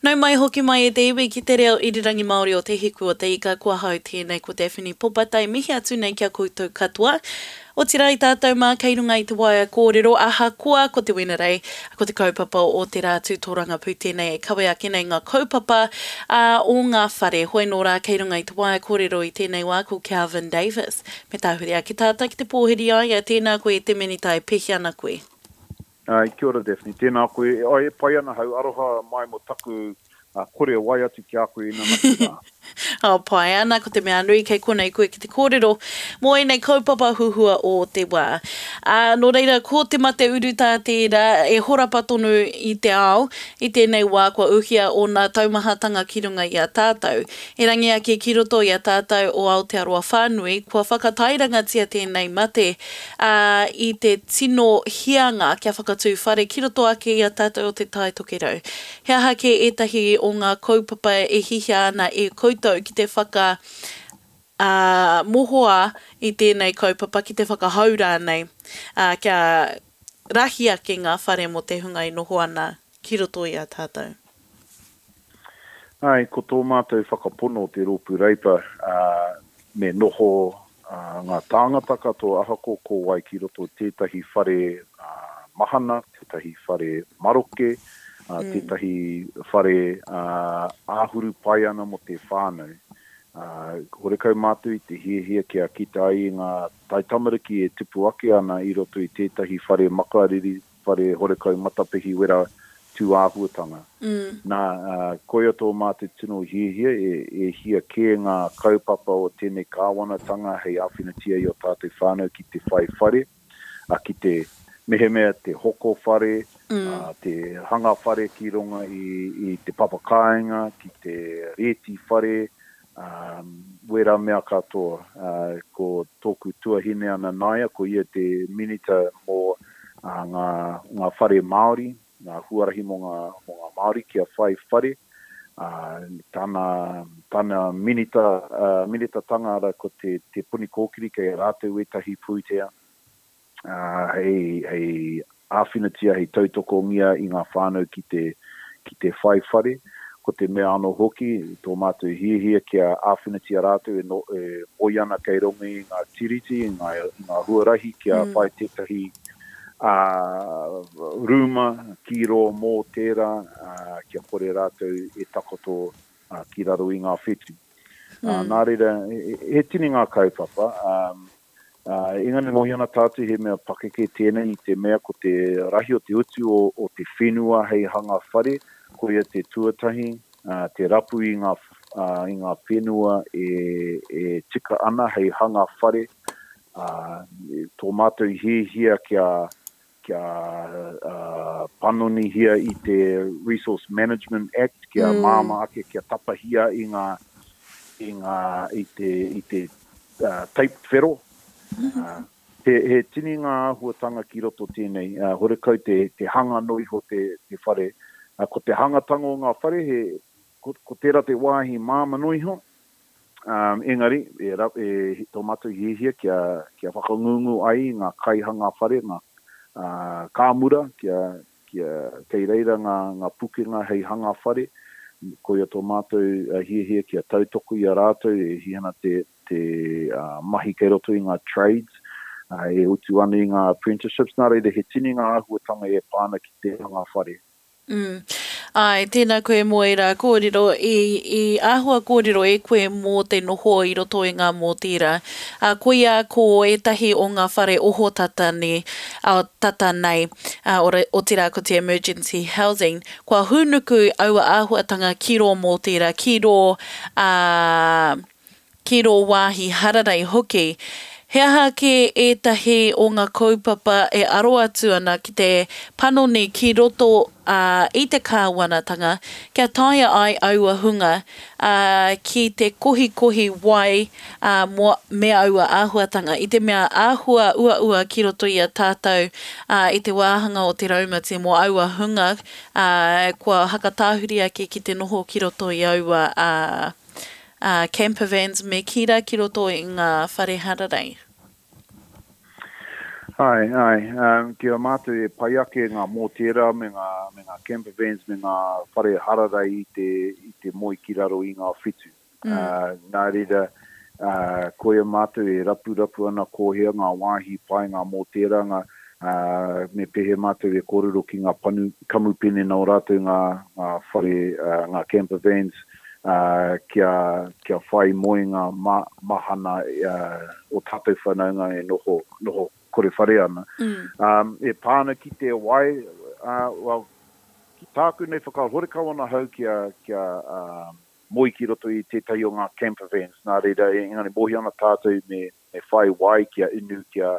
Nau mai hoki mai e te iwi ki te reo irirangi Māori o Te Hiku o Te Ika, ko ahau tēnei ko Daphne Popatai, mihi atu nei ki a koutou katoa. Otirā i tātou mā kei runga i te waea kōrero, ahakoa ko te Wenerei, ko te kaupapa o te rā tū tōrangapū tēnei e kawe ake nei ngā kaupapa ā, o ngā whare. Hoi nō rā kei runga i te waea kōrero i tēnei wā ko Kelvin Davis. Me tāhuri ake tātou ki te pōhiri i a ia, tēnā koe e te Minita e pēhea ana koe? Āe, kia ora Daphne, tēnā koe. Āe, e pai ana hau, aroha mai mō taku kore wai atu ki a koe inanahi rā. Oh, pai ana, ko te mea nui kei konei koe ki te kōrero mō ēnei kaupapa huhua o te wā. Ā, nō reira, ko te mate urutā tērā e horapa tonu i te ao, i tēnei wā kua uhia ōna taumahatanga ki runga i a tātou. Erangi ake ki roto i a tātou o Aotearoa whānui, kua whakatairangatia tēnei mate, ā, i te tino hianga kia whakatū whare ki roto ake i a tātou o Te Tai Tokerau. He aha kē ētahi o ngā kaupapa e hihia ana e koutou ki te whaka, ā, mohoa i tēnei kaupapa, ki te whakahou rānei, ā, kia rahi ake ngā whare mō te hunga e noho ana ki roto i a tātou? Āe, ko tō mātou whakapono o te Rōpū Reipa, ā, me noho ngā tāngata katoa ahakoa ko wai ki roto tētahi whare mahana, tētahi whare maroke, tētahi whare āhuru pai ana mō te whānau. Horekau mātou i te hiahia kia kite ai i ngā taitamariki e tupu ake ana i roto i tētahi whare makariri, whare horekau matapihi wera tūāhuatanga. Nā, koia tō mātou tino hiahia, e hia kē ngā kaupapa o tēnei kāwanatanga hei āwhinatia i ō tātou whānau ki te whai whare, ki te, mehemea te hoko whare, te hanga whare ki runga i te papa kāinga, ki te rēti whare, Ā, wērā mea katoa. Ā, ko tōku tuahine a Nanaia, ko ia te minita mō ngā, ngā whare Māori, ngā huarahi mō ngā, mō ngā Māori kia whai whare. Ā, tana, tana minita, ā, minitatanga ara ko te, Te Puni Kōkiri kei a rātou ētahi pūtea. ā, hei, hei āwhinatia, hei tautokongia i ngā whānau ki te, ki te whai whare. Ko te mea anō hoki, tō mātou hiahia kia āwhinatia rātou e, no, e moe ana kei runga i ngā tiriti, i ngā, i ngā huarahi kia whai tētahi, ā, rūma ki rō mōtēra, ā, kia kore rātou e takoto, ā, ki raro i ngā whetū. Ā, nā reira, he, he tini ngā kaupapa, ā, Ā, engari mōhio ana tātou he mea pakeke tēnei i te mea ko te rahi o te utu o, o te whenua hei hanga whare, koia te tuatahi, ā, te rapu i ngā, ā, i ngā whenua e, e tika ana hei hanga whare, ā, tō mātou hiahia kia, kia panonihia i te Resource Management Act kia mm. māmā ake, kia tapahia i ngā, i ngā, i te, i te uh, tape whero. Mm -hmm. uh, he, he tini ngā āhuatanga ki roto tēnei, uh, horekau te, te hanga no iho te, te whare. Uh, ko te hangatanga o ngā whare, he, ko, ko tērā te wāhi māma no iho, Um, engari, e, e, tō mātou hiahia kia, kia whakangungu ai i ngā kaihanga whare, ngā uh, kāmura, kia, kia, kei reira ngā, ngā pukenga hei hanga whare. Koia tō mātou hiahia kia tautoko i a rātou e hia ana te, te uh, mahi kei roto i ngā trades, uh, e utu ana i ngā apprenticeships. Nā reira, he tini ngā āhuatanga e pā ana ki te hanga whare. Mm. Āe, tēnā koe mō ērā kōrero. I, i āhua kōrero e koe mō te noho i roto i ngā mōtīra. Ā, koia ko ētahi o ngā whare ohotata nei, ā, tata nei, ā, ora, otirā ko te emergency housing, kua hūnuku aua āhuatanga ki rō mōtīra, ki rō, ā, ki rō wāhi hararei hoki. He aha kē ētahi o ngā kaupapa e aro atu ana ki te panoni ki roto i te kāwanatanga kia taea ai aua hunga ki te kohikohi wai me aua āhuatanga i te mea āhua uaua ki roto i a tātou i te wāhanga o te raumati mō aua hunga kua hakatāhuri ake ki te noho ki roto i aua ā, camper vans me kī rā ki roto i ngā whare hararei. Āe, āe. Ki a mātou e pai ake ngā mōtēra me ngā, me ngā camper vans me ngā whare hararei i te, i te moe ki raro i ngā whetu. Nā reira, koia mātou e rapurapu ana ko hea ngā wāhi pai, ngā mōtēra, ngā, me pēhea mātou e kōrero ki ngā panu, kamupene nō rātou ngā, ngā whare, ngā camper vans, kia, kia whai moenga ma, mahana o tātou whanaunga e noho, noho kore whare ana. E pā ana ki te wai, well, ki tāku nei whakaaro, horekau ana hau kia, kia moe ki roto i tētahi o ngā camper vans, nā reira, engari mōhio ana tātou me, me whai wai kia inu, kia,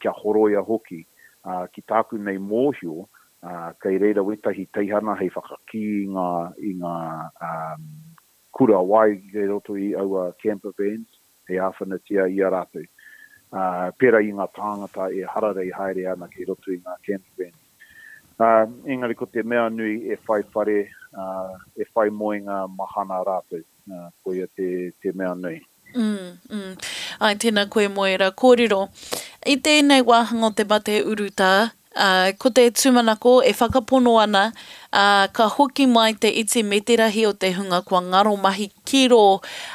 kia horoia hoki. Ki tāku nei mōhio, kei reira wētahi teihana hei whakakī i ngā, i ngā kura wai kei roto i aua camper vans, hei āwhinatia i a rātou. Pērā i ngā tāngata e hararei haere ana kei roto i ngā camper vans. Engari ko te mea nui e whai whare, e whai moenga mahana rātou. Koia te, te mea nui. Mm, mm. Ai, tēnā koe mō ērā kōrero. I tēnei wāhanga o te mate urutā, ā, ko te tūmanako e whakapono ana, ā, ka hoki mai te iti me te rahi o te hunga kua ngaro mahi ki rō,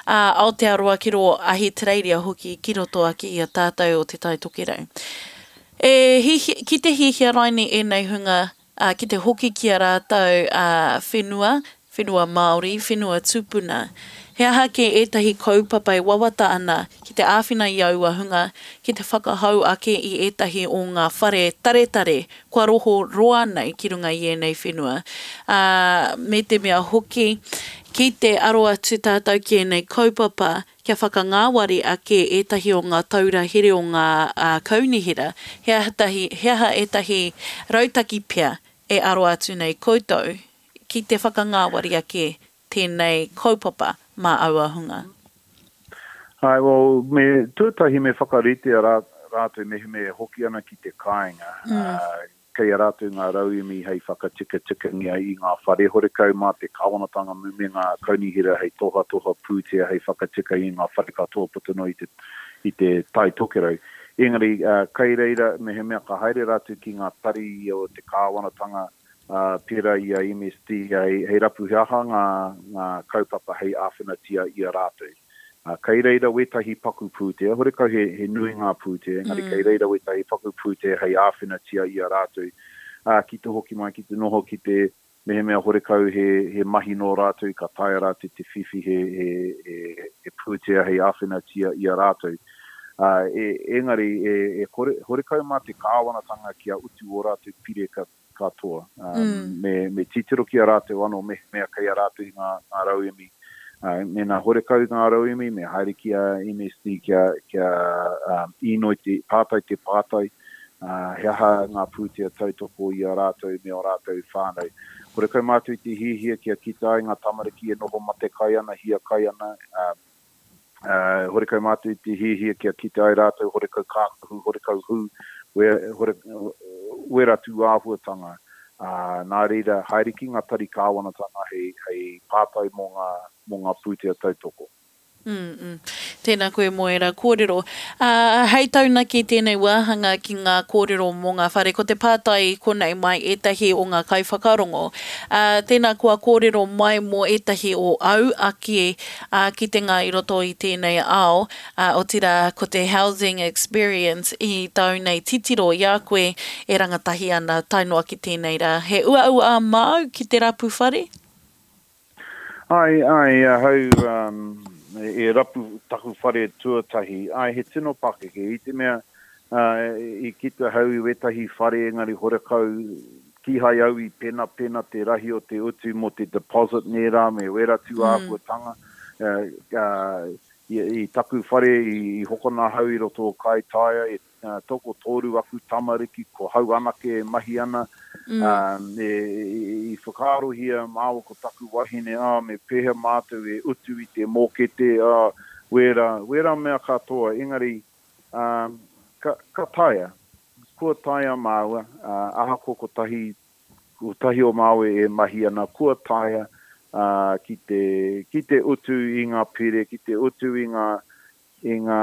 ā, Aotearoa, ki rō Ahitereiria hoki, ki roto ake i a tātou o Te Tai Tokerau. E hihi, ki te hiahia raini ēnei hunga ā, ki te hoki ki a rātou, ā, whenua, whenua Māori, whenua tupuna. He aha kē ētahi kaupapa e wawata ana ki te āwhina i aua hunga ki te whakahou ake i ētahi o ngā whare taretare kua roho roa nei ki runga i ēnei whenua, ā, me te mea hoki, ki te aro atu tātou ki ēnei kaupapa kia whakangāwari ake ētahi o ngā taura here o ngā kaunihera, he aha tahi, he aha ētahi rautaki pea e aro atu nei koutou ki te whakangāwari ake tēnei kaupapa mā aua hunga? Āe, well, me, tuatahi me whakaritea rā, rātou mehemea e hoki ana ki te kāinga, Kei a rātou ngā rauemi hei whakatikatikangia i ngā whare horekau mā te kāwanatanga me ngā kaunihera hei tohatoha pūtea hei whakatika i ngā whare katoa puta noa i te, i te Tai Tokerau. Engari, kei reira, mehemea ka haere rātou ki ngā tari o te kāwanatanga, pērā i a MSD, hei rapu he aha ngā, ngā kaupapa hei āwhinatia i a rātou. Ā, kei reira wētahi paku pūtea, horekau he, he nui ngā pūtea, engari kei reira wētahi paku pūtea hei āwhinatia i a rātou, ā, ki te hoki mai, ki te noho ki te, mehemea horekau he, he mahi nō rātou, ka taea rātou te whiwhi he, he, he, he pūtea hei āwhinatia i a rātou. Ā, e, engari, e, e kore, horekau mā te kāwanatanga kia utu ō rātou pire ka, katoa. Me, me titiro ki a rātou anō mehemea kei a rātou ngā, ngā rauemi. Mēnā horekau ngā rauemi, me haere ki a MSD kia, kia um, īnoi te, pātai te pātai, uh, he aha ngā pūtea tautoko i a rātou me ō rātou whānau. Horekau mātou i te hiahia kia kite ai ngā tamariki e noho matekai ana, hiakai ana, um, Ā, horekau mātou i te hiahia kia kite ai rātou horekau kākahu, horekau hū, we, hore, wera tūāhuatanga. Ā, nā reira, haere ki ngā tari kāwanatanga hei, hei pātai mō ngā, mō ngā pūtea tautoko. Mm, mm. Tēnā koe mō ērā kōrero. Ā, hei taunaki tēnei wāhanga ki ngā kōrero mō ngā whare, ko te pātai i konei mai ētahi o ngā kaiwhakarongo. Ā, tēnā kua kōrero mai mō ētahi o au ake ā, kitenga i roto i tēnei ao, ā, otirā, ko te housing experience i tāu nei titiro i a koe e rangatahi ana tae noa ki tēnei rā. He uaua māu ki te rapu whare? Āe, āe, ahau e rapu taku whare tuatahi, āe, he tino pakeke, i te mea, i kite ahau i wētahi whare engari horekau Kīhai au i penapena te rahi o te utu mō te deposit nē rā me wērā tū āhuatanga. I taku whare i hokona ahau i roto o Kaitaia, e tokotoru aku tamariki, ko hau anake e mahi ana. I whakaarohia māua ko taku wahine, ā, me pēhea mātou e utu i te mōkete, ā, wērā, wērā mea katoa. Engari, ka, ka taea. Kua taea māua, ā, ahakoa kotahi, kotahi o māua e mahi ana, kua taea, ā, ki te, ki te utu i ngā pire, ki te utu i ngā, i ngā,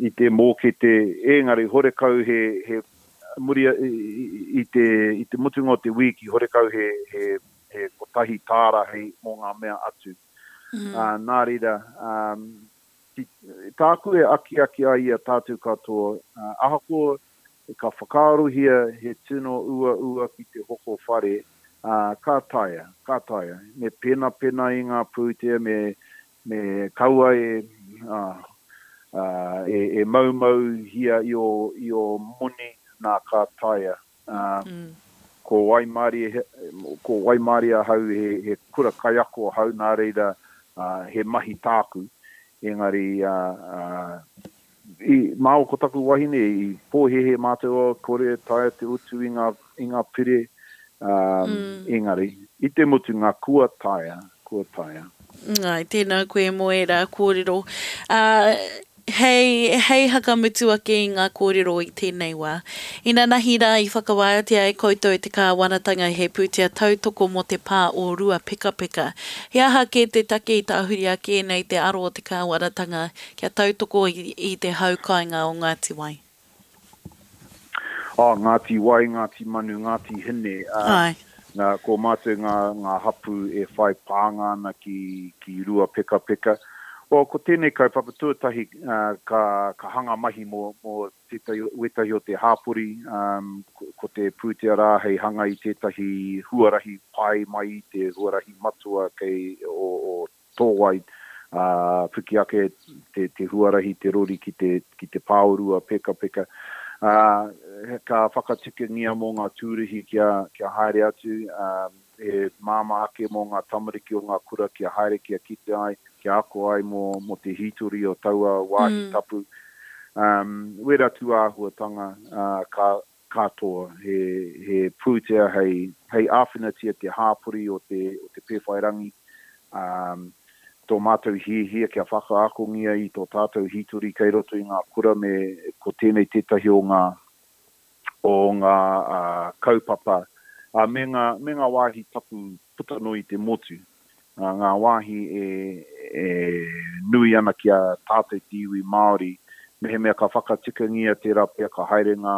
i te mōkete, engari horekau he, he, muri i te, i te mutunga o te wīki horekau he, he, he kotahi tāra hei mō ngā mea atu. Ā, nā reira, ki, tāku e akiaki ai i a tātou katoa, ahakoa ka whakaarohia he tino uaua ki te hoko whare, ā, ka taea, ka taea. Me penapena i ngā pūtea, me, Me kaua e, e, e maumauhia i ō, i ō moni, nā ka taea. Ā, ko Waimarie, ko Waimarie ahau he, he kura kaiako ahau, nā reira, ā, he mahi tāku. Engari, ā, ā, I, māua ko taku wahine, i pōhēhē mātou, oh, kore e taea te utu i ngā, i ngā pire, ā, engari, i te mutunga, kua taea, kua taea. Āe, tēnā koe mō ērā kōrero. Ā, hei, hei hakamutu ake i ngā kōrero i tēnei wā. Inanahi rā i whakawātea e koutou e te kāwanatanga he pūtea tautoko mō te pā o Ruapekapeka. He aha kē te take i tahuri ake nei te aro o te kāwanatanga Kia tautoko i te hau kāinga o Ngāti Wai. Oh, Ngāti Wai, Ngāti Manu, Ngāti Hine, ā, nā, ko mātou ngā, ngā hapū e whai pānga ana ki, ki Ruapekapeka. Well, ko tēnei kaupapa tuatahi, ā, ka, ka hanga mahi mō, mō tētahi, wētahi o te hāpori, ā, ko, ko te pūtea rā hei hanga i tētahi huarahi pai mai i te huarahi matua kei, o, o Tōwai, ā, piki ake te, te huarahi, te rori ki te, ki te pāorua pekapeka. Ā, ka whakatikangia mō ngā tūruhi kia, kia haere atu, ā, he māmā ake mō ngā tamariki o ngā kura kia haere kia kite ai, kia ako ai mō, mō te hītori o taua wāhi tapu. Ā, wērā tūāhuatanga, ā, ka, katoa, he, he pūtea hei, hei āwhinatia te hāpori o te, o Te Pēwhairangi, ā, tō mātou hiahia kia whakaakongia i tō tātou hītori kei roto i ngā kura me ko tēnei tētahi o ngā, o ngā kaupapa, ā, me ngā, me ngā wāhi tapu puta noa i te motu, ngā wāhi e, e nui ana ki a tātou te iwi Māori, mehemea ka whakatikangia tērā pea ka haere ngā,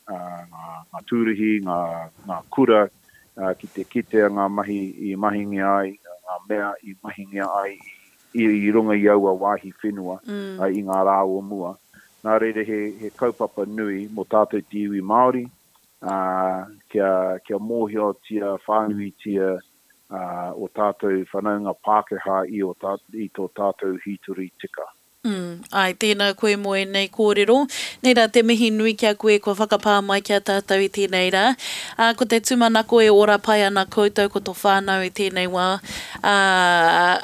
ngā, ngā tūruhi, ngā, ngā kura ki te kitea ngā mahi i mahingia ai, ngā mea i mahingia ai i, i runga i aua wāhi whenua i ngā rā o mua. Nā reira he, he kaupapa nui mō tātou te iwi Māori, ā, kia, kia mōhiotia whānuitia ā, ō tātou whanaunga Pākehā i ō tā, i tō tātou hītori tika. Mm, āe, tēnā koe mō ēnei kōrero. Nei rā te mihi nui ki a koe kua whakapā mai ki a tātou i tēnei rā. Ā, ko te tūmanako e ora pai ana koutou ko tō whānau i tēnei wā. Ā,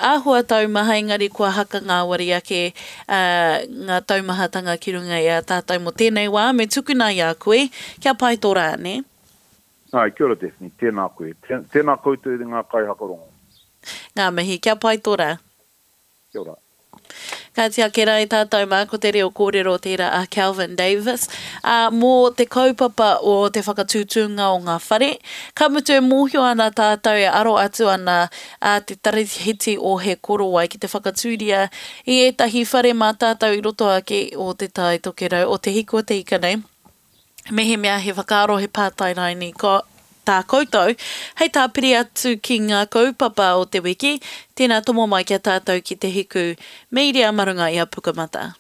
āhua taumaha engari kua haka ngāwari ake ā, ngā taumahatanga ki runga i a tātou mō tēnei wā, me tukuna i a koe, kia pai tō rā, nē? Āe, kia ora Daphne, tēnā koe. Tēnā koutou ngā kaihakarongo. Ngā mihi, kia pai tō rā. Kia ora. Kāti ake rā i tātou mā, ko te reo kōrero tērā a Kelvin Davis, ā, mō te kaupapa o te whakatūtūnga o ngā whare. Ka mutu e mōhio ana tātou e aro atu ana a te Tarahiti o He Korowai ki te whakatūria i ētahi whare mā tātou i roto ake o Te Tai Tokerau, o Te Hiku o Te Ika nei. Mehemea he whakaaro, he pātai raini ko tā koutou, hei tāpiri atu ki ngā kaupapa o te wiki, tēnā tomo mai ki a tātou ki Te Hiku Mīria mā runga i a Pukamata.